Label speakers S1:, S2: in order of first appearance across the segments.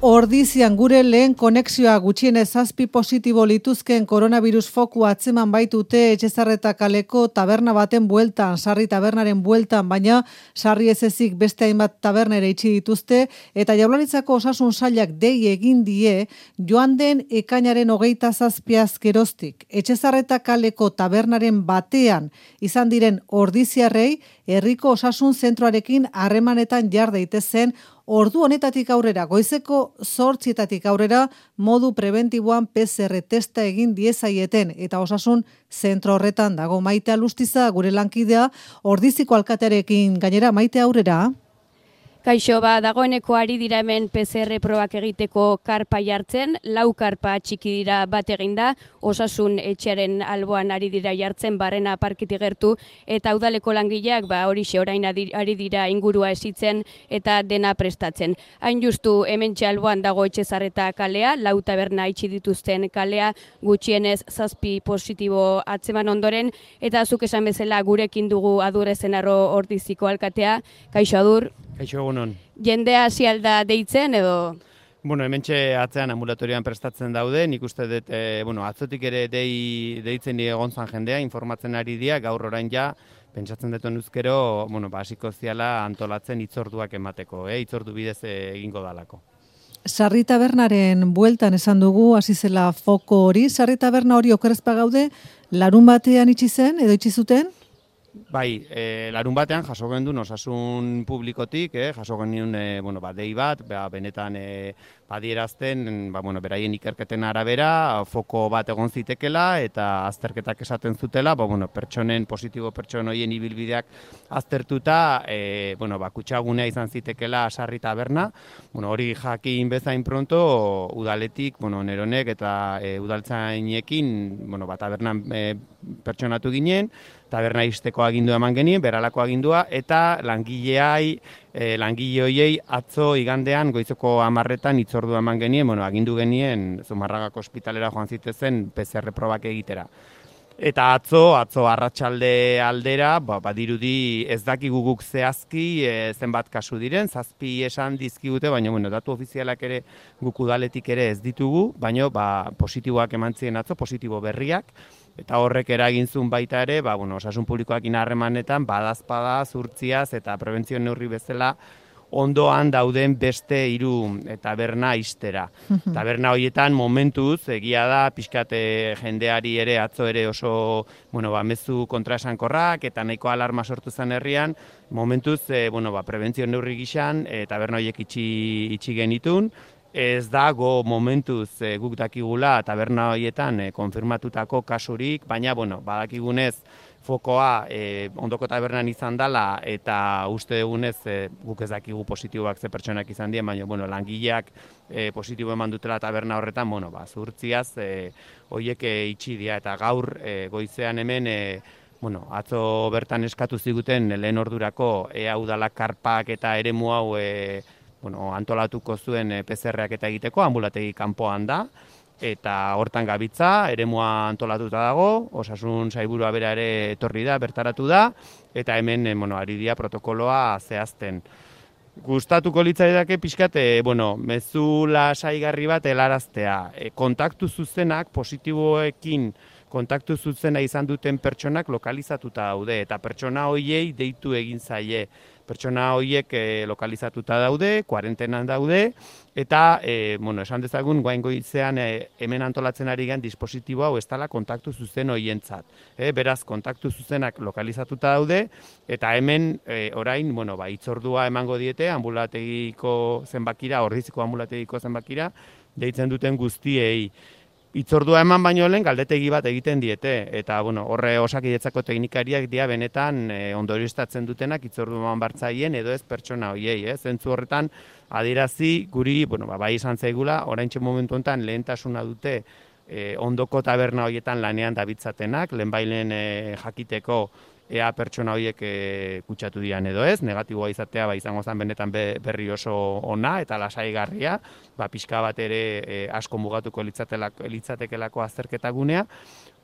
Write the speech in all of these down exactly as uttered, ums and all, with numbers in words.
S1: Ordizian gure lehen konexioa gutxienez zazpi positibo lituzken koronavirus foku atzeman baitute Etxezarreta kaleko taberna baten bueltan, Sarri tabernaren bueltan, baina Sarri ez ezik beste hainbat tabernera itxi dituzte eta Jaurlaritzako osasun sailak dei egin die joan den ekainaren hogeita zazpiaz geroztik. Etxezarreta kaleko tabernaren batean izan diren ordiziarrei herriko osasun zentroarekin harremanetan jar daitezen ordu honetatik aurrera, goizeko zortzietatik aurrera, modu preventiboan P C R testa egin diezaieten eta osasun zentro horretan dago. Maite Alustiza, gure lankidea, Ordiziko alkatearekin gainera. Maite, aurrera.
S2: Kaixo, ba, dagoeneko ari dira hemen P C R probak egiteko karpa jartzen, lau karpa txiki dira bat eginda, osasun etxearen alboan ari dira jartzen, barrena parkitik gertu, eta udaleko langileak ba, horixe orain ari dira ingurua esitzen eta dena prestatzen. Hain justu hemen alboan dago Etxezarreta kalea, lau taberna itxi dituzten kalea, gutxienez zazpi positibo atzeman ondoren, eta zuk esan bezala gurekin dugu Adur Ezenarro Ordiziko alkatea. Kaixo, Adur.
S3: Kaixo, egunon.
S2: Jendea hasi alda deitzen edo?
S3: Bueno, hementxe atzean ambulatorian prestatzen daude, nik uste dut, e, bueno, atzotik ere dei, deitzen egon zan jendea, informatzen ari dira, gaur orain ja, pentsatzen dut onuzkero, bueno, ba, hasiko ziala antolatzen hitzorduak emateko, eh? Hitzordu bidez egingo dalako.
S1: Sarri tabernaren bueltan esan dugu, hasi zela foko hori, Sarri taberna hori okerrezpa gaude, larun batean itxi zen, edo itxi zuten?
S3: Bai, e, larun batean jaso gendun osasun publikotik, eh, jaso gendun e, bueno, ba, dei bat, ba, benetan e, badierazten, ba, bueno, beraien ikerketen arabera, foko bat egon zitekela eta azterketak esaten zutela, ba, bueno, pertsonen, positibo pertson horien ibilbideak aztertuta, e, bueno, ba, kutsagunea izan zitekela Sarri taberna, bueno, hori jakin bezain pronto, udaletik, bueno, neronek eta e, udaltzainekin, bueno, ba, tabernan e, pertsonatu ginen, taberna izteko agindua eman genien, beralako agindua, eta langileai, e, langile hoiei atzo igandean goizeko hamarretan hitzordua eman genien, bueno, agindu genien Zumarragako ospitalera joan zitezen P C R probak egitera. Eta atzo, atzo arratsalde aldera, ba, badirudi ez dakigu guk zehazki e, zenbat kasu diren, zazpi esan dizkigute, baina bueno, datu ofizialak ere guk udaletik ere ez ditugu, baina ba, positiboak eman ziren atzo, positibo berriak, eta horrek eragin zuen baita ere, ba, bueno, osasun publikoakin harremanetan, badazpada, zurtziaz eta prebentzio neurri bezala ondoan dauden beste hiru taberna ixtera. Taberna horietan momentuz, egia da, pixkate jendeari ere, atzo ere oso, bueno, ba, mezu kontraesankorrak eta nahiko alarma sortu zen herrian, momentuz, e, bueno, ba, prebentzio neurri gixan, e, taberna horiek itxi, itxi genitun. Ez dago momentuz e, guk dakigula taberna horietan e, konfirmatutako kasurik, baina, bueno, badakigunez fokoa e, ondoko tabernan izan dela eta uste dugunez e, guk ez dakigu positiboak ze pertsonak izan dien, baina, bueno, langileak e, positibo eman dutela taberna horretan, bueno, ba, zuhurtziaz e, horiek e, itxi dira eta gaur e, goizean hemen e, bueno, atzo bertan eskatu ziguten lehen ordurako ea udala karpak eta eremu hau e, bueno, antolatuko zuen P C R-ak eta egiteko, ambulategi kanpoan da, eta hortan gabitza, eremua antolatuta dago, osasun sailburua bera ere etorri da, bertaratu da, eta hemen, bueno, ari dira protokoloa zehazten. Gustatuko litzaidake pixkat, e, bueno, mezu lasaigarri bat helaraztea. E, kontaktu zuzenak, positiboekin kontaktu zuzena izan duten pertsonak lokalizatuta daude, eta pertsona horiei deitu egin zaie. Pertsona horiek e, lokalizatuta daude, kuarentenan daude, eta, e, bueno, esan dezagun, guain goizean e, hemen antolatzen ari gen dispositibo hau ez dela kontaktu zuzen horientzat. E, beraz, kontaktu zuzenak lokalizatuta daude, eta hemen e, orain, bueno, ba, hitzordua emango diete, ambulategiko zenbakira, Ordiziko ambulategiko zenbakira, deitzen duten guztiei. Hitzordua eman baino lehen galdetegi bat egiten diete, eta bueno, horre Osakidetzako teknikariak dira benetan e, ondorioztatzen dutenak hitzordu eman bartzaien edo ez pertsona hoiei, eh? Zentzu horretan adierazi guri, bueno, ba, bai izan zaigula, oraintxe momentu honetan lehentasuna dute e, ondoko taberna horietan lanean dabiltzatenak, lehenbailen e, jakiteko ea pertsona horiek e, kutsatu dian edo ez, negatiboa izatea ba, izango zen benetan be, berri oso ona eta lasaigarria, ba, pixka bat ere e, asko mugatuko litzatekelako azterketa gunea.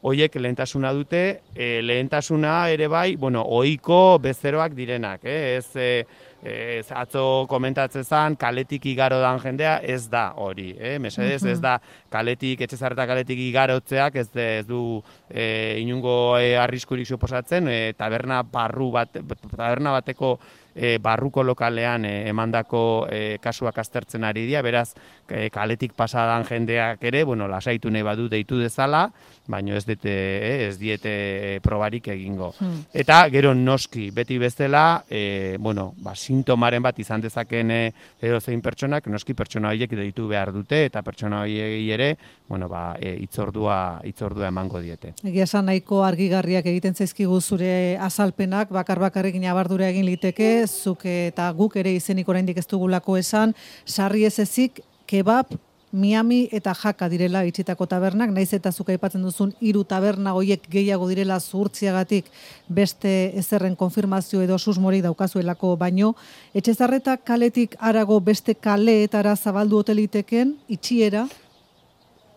S3: hoiek lehentasuna dute, e, lehentasuna ere bai, bueno, ohiko bezeroak direnak, eh? ez, e, ez atzo komentatzen zen, kaletik igaro dan jendea, ez da hori, eh? Mesedez, ez da kaletik, Etxezarreta kaletik igarotzeak, ez, de, ez du e, inungo e, arriskurik suposatzen, e, taberna barru bat, taberna bateko E, barruko lokalean e, emandako e, kasuak aztertzen ari dira, beraz e, kaletik pasadan jendeak ere, bueno, lasaitu nahi badu deitu dezala, baino ez dute, e, ez diete e, probarik egingo. Hmm. Eta gero noski, beti bezala, e, bueno, ba, sintomaren bat izan dezaken e, edo zein pertsonak, noski pertsona horiek deitu behar dute, eta pertsona horiei ere, bueno, ba, e, itzordua, itzordua emango diete.
S1: Egia esan nahiko argigarriak egiten zaizkigu zure azalpenak, bakar-bakarrekin abardura egin liteke, zuk eta guk ere izenik oraindik ez dugulako esan, sarri ez ezik, kebab, Miami eta Jaka direla itxitako tabernak, naiz eta zuk aipatzen duzun hiru taberna hoiek gehiago direla zuhurtziagatik beste ezerren konfirmazio edo susmorik daukazuelako, baino Etxezarreta kaletik harago beste kaleetara zabaldu hoteliteken itxiera?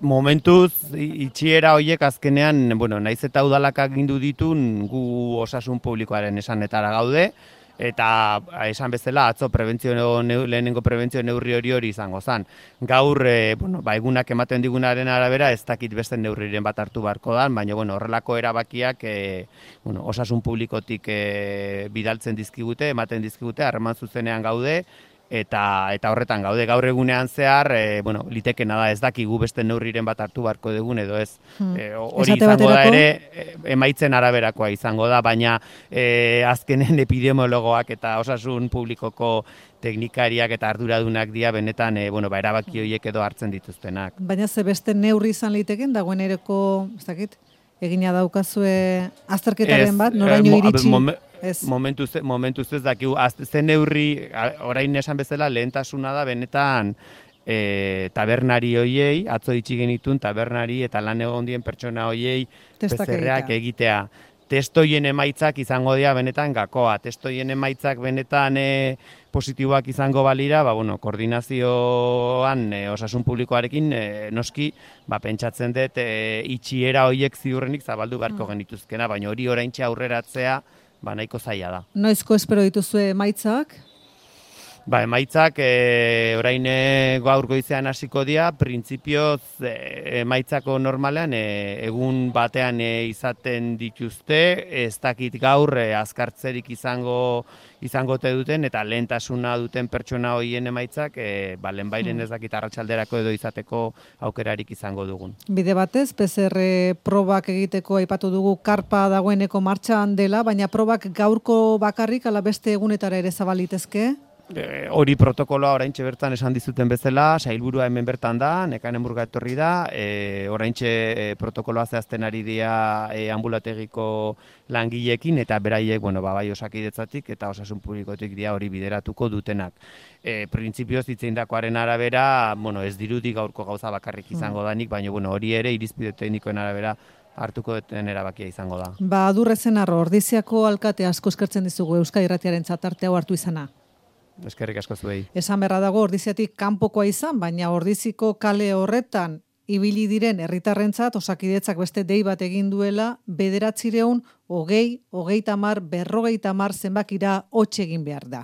S3: Momentuz, itxiera horiek azkenean, bueno, naiz eta udalak agindu ditun, gu osasun publikoaren esanetara gaude, eta esan bezala atzo prebentzio lehenengo prebentzio neurri hori hori izango zen. Gaur, e, bueno, ba, egunak ematen digunaren arabera ez dakit beste neurriren bat hartu beharko da, baina bueno, horrelako erabakiak e, bueno, osasun publikotik e, bidaltzen dizkigute, ematen dizkigute, harreman zuzenean gaude, eta eta horretan gaude gaur egunean zehar, e, bueno, litekena da ez dakigu beste neurriren bat hartu beharko dugun edo ez. Hmm. E, hori izango baterako da ere, emaitzen araberakoa izango da, baina e, azkenen epidemiologoak eta osasun publikoko teknikariak eta arduradunak dira benetan e, bueno, ba, erabaki horiek edo hartzen dituztenak.
S1: Baina ze beste neurri izan liteken dagoen ereko, ez dakit, egina daukazue azterketaren bat, noraino iritsi?
S3: Ez. Momentuz, momentuz ez dakigu, zen neurri, orain esan bezala, lehentasuna da benetan e, tabernari hoiei, atzo itxi genitun tabernari eta lan egon dien pertsona hoiei P C R-ak egitea. Testoien emaitzak izango dira benetan gakoa, testoien emaitzak benetan e, positiboak izango balira, ba, bueno, koordinazioan e, osasun publikoarekin e, noski ba, pentsatzen dut e, itxiera hoiek ziurrenik zabaldu beharko genituzkena, baina hori oraintxe aurreratzea ba, nahiko zaila da.
S1: Noizko espero dituzue emaitzak?
S3: Ba, emaitzak e, orain e, gaur goizean hasiko dira, printzipioz e, emaitzako normalean e, egun batean e, izaten dituzte, ez dakit gaur e, azkartzerik izango izango te duten eta lehentasuna duten pertsona hoien emaitzak e, ba, lehenbairen ez dakit arratsalderako edo izateko aukerarik izango dugun.
S1: Bide batez, P C R probak egiteko aipatu dugu karpa dagoeneko martxan dela, baina probak gaurko bakarrik ala beste egunetara ere zabalitezke?
S3: E, hori protokoloa oraintxe bertan esan dizuten bezala, sailburua hemen bertan da, Nekanen Burga etorri da, e, oraintxe e, protokoloa zehazten ari dira e, ambulategiko langileekin eta beraiek, bueno, ba, bai Osakidetzatik eta osasun publikotik dira hori bideratuko dutenak. E, printzipioz itzeinakoaren arabera, bueno, ez dirudi gaurko gauza bakarrik izango danik, baina bueno, hori ere irizpide teknikoen arabera hartuko duten erabakia izango da.
S1: Ba, Adurrezen arro, Ordiziako alkate asko eskertzen dizugu Euskadi Irratiaren tarte hau hartu izana.
S3: Eskerrik asko zuei.
S1: Esan berra dago Ordiziatik kanpokoa izan, baina Ordiziko kale horretan ibili diren herritarrentzat Osakidetzak beste dei bat egin duela bederatziehun hogei, hogeita hamar, berrogeita hamar zenbakira hots egin behar da.